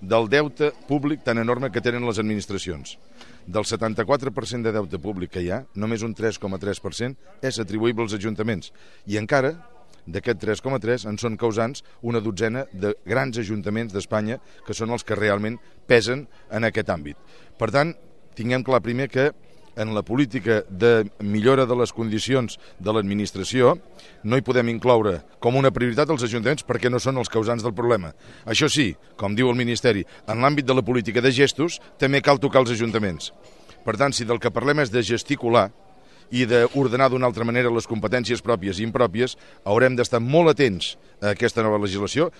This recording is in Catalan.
del deute públic tan enorme que tenen les administracions. Del 74% de deute públic que hi ha, només un 3,3% és atribuïble als ajuntaments. I encara, d'aquest 3,3 en són causants una dotzena de grans ajuntaments d'Espanya que són els que realment pesen en aquest àmbit. Per tant, tinguem clar primer que en la política de millora de les condicions de l'administració no hi podem incloure com una prioritat els ajuntaments perquè no són els causants del problema. Això sí, com diu el Ministeri, en l'àmbit de la política de gestos també cal tocar els ajuntaments. Per tant, si del que parlem és de gesticular i d'ordenar d'una altra manera les competències pròpies i impròpies, haurem d'estar molt atents a aquesta nova legislació.